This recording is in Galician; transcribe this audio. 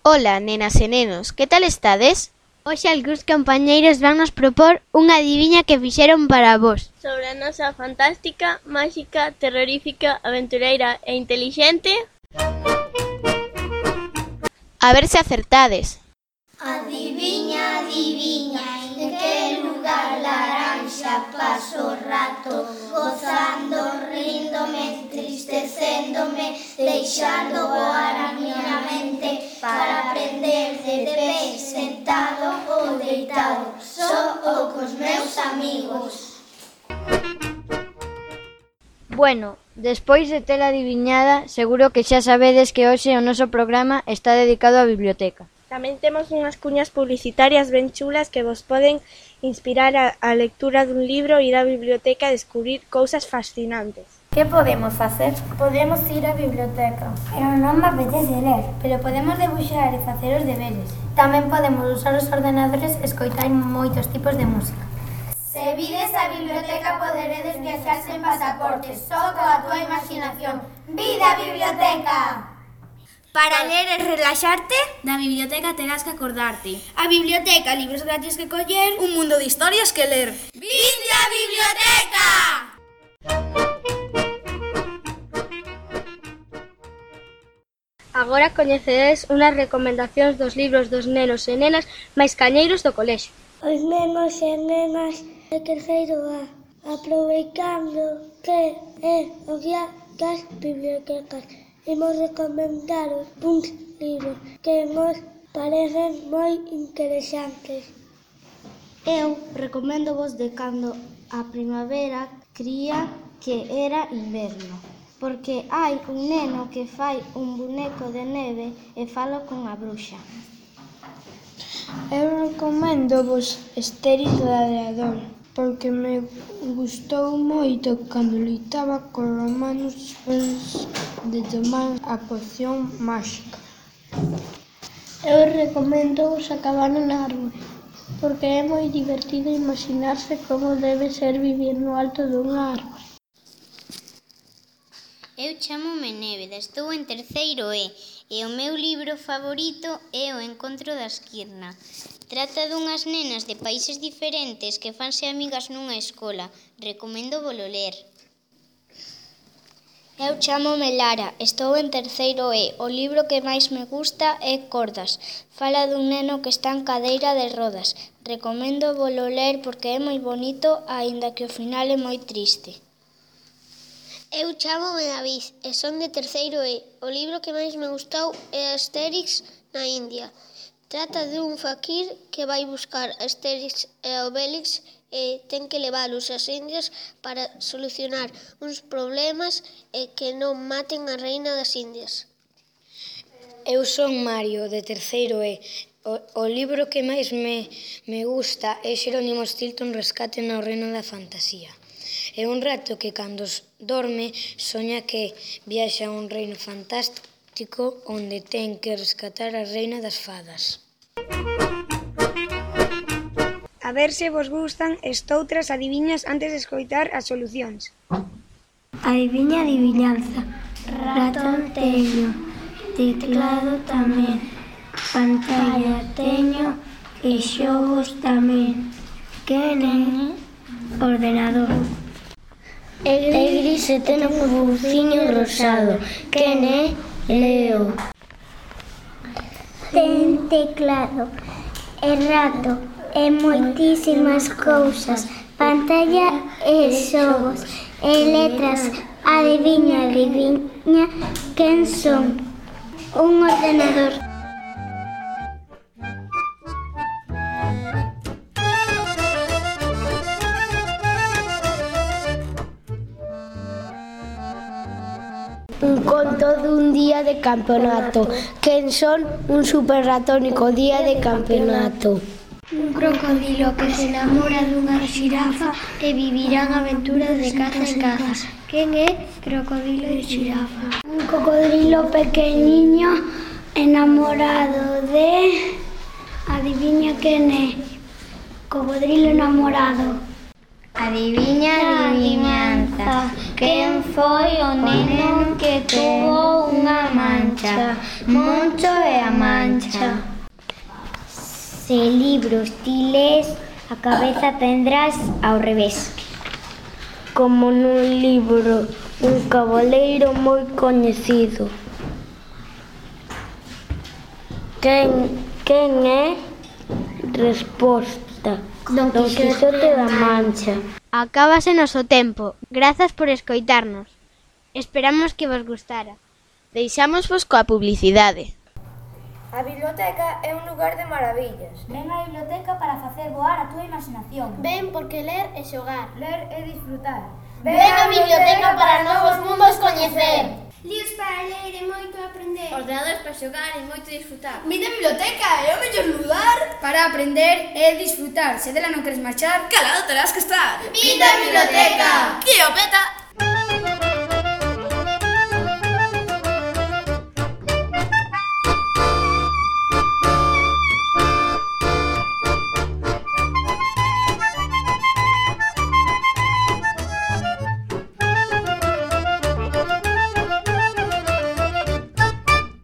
Ola, nenas e nenos, que tal estades? Hoxe algúns compañeiros van nos propor unha adiviña que fixeron para vos. Sobre a nosa fantástica, máxica, terrorífica, aventureira e intelixente. A ver se acertades. Adiviña, adiviña, en que lugar laranxa paso o rato, gozando, ríndome, entristecéndome, deixando voar a miña mente para aprender de pé, sentado ou deitado, só ou cos meus amigos. Bueno, despois de tela adiviñada, seguro que xa sabedes que hoxe o noso programa está dedicado á biblioteca. Tamén temos unhas cuñas publicitarias ben chulas que vos poden inspirar a lectura dun libro, ir á biblioteca e descubrir cousas fascinantes. Que podemos facer? Podemos ir á biblioteca. Pero non me apetece ler. Pero podemos debuxar e facer os deberes. Tamén podemos usar os ordenadores e escoitar moitos tipos de música. Se vides a biblioteca poderedes viaxar sen pasaporte, só coa túa imaginación. Vida a biblioteca! Para ler e relaxarte, da biblioteca terás que acordarte. A biblioteca, libros gratis que coller, Un mundo de historias que ler. Vinde a biblioteca! Agora coñecedes unhas recomendacións dos libros dos nenos e nenas máis cañeiros do colexio. Os nenos e nenas de terceiro A, aproveitando que é o día das bibliotecas, imos recomendaros uns libros que nos parecen moi interesantes. Eu recomendo vos de Cando a primavera cría que era inverno, porque hai un neno que fai un boneco de neve e fala con a bruxa. Eu recomendo vos Asterix Gladiador, porque me gustou moito cando loitaba cos romanos despois de tomar a poción máxica. Eu recomendo vos A cabana na árbore, porque é moi divertido imaginarse como debe ser vivir no alto dunha árbore. Eu chámome Néveda, estou en terceiro e o meu libro favorito é O encontro da Esquirna. Trata dunhas nenas de países diferentes que fanse amigas nunha escola. Recomendo volo ler. Eu chámome Lara, estou en terceiro E. O libro que máis me gusta é Cordas. Fala dun neno que está en cadeira de rodas. Recomendo volo ler porque é moi bonito, aínda que o final é moi triste. Eu chámome David e son de terceiro E. O libro que máis me gustou é Asterix na India. Trata dun faquir que vai buscar Asterix e Obelix e ten que levalos ás Indias para solucionar uns problemas e que non maten a reina das Indias. Eu son Mario, de terceiro E. O libro que máis me gusta é Xerónimo Stilton, Rescate no reino da fantasía. É un rato que cando dorme soña que viaxa a un reino fantástico onde ten que rescatar a reina das fadas. A ver se vos gustan estoutras adiviñas antes de escoitar as solucións. Adiviña, adivinanza. Ratón teño, teclado tamén, pantalla teño e xogos tamén. Quen é? Ordenador. É gris e ten un buciño rosado. Quen é? Leo. Ten teclado e rato e moitísimas cousas, pantalla e xogos e letras. Adiviña, adiviña, quen son? Un ordenador. Un conto dun día de campeonato. Quen son? Un super ratónico día de campeonato. Un crocodilo que se enamora dunha xirafa e vivirán aventuras de caza en caza. Quen é? Crocodilo e xirafa. Un cocodrilo pequeniño enamorado de... Adiviña quen é? Cocodrilo enamorado. Adiviña, adivinanza, quen foi o neno que tuvo unha mancha? Moncho e a mancha. Se libros ti lees, a cabeza tendrás ao revés. Como nun libro, un cabaleiro moi coñecido. Quen é? Resposta: Don Quixote da Mancha. Acábase noso tempo. Grazas por escoitarnos. Esperamos que vos gustara. Deixámosvos coa publicidade. A biblioteca é un lugar de maravillas. Ven á biblioteca para facer voar a túa imaginación. Ven porque ler é xogar. Ler é disfrutar. Ven á biblioteca para novos mundos coñecer. Libros para ler e moito aprender. Ordenadores para xogar e moito disfrutar. Vida biblioteca é o mellor lugar para aprender e disfrutar. Se dela non queres marchar, calado terás que estar. Vida biblioteca! Que o peta!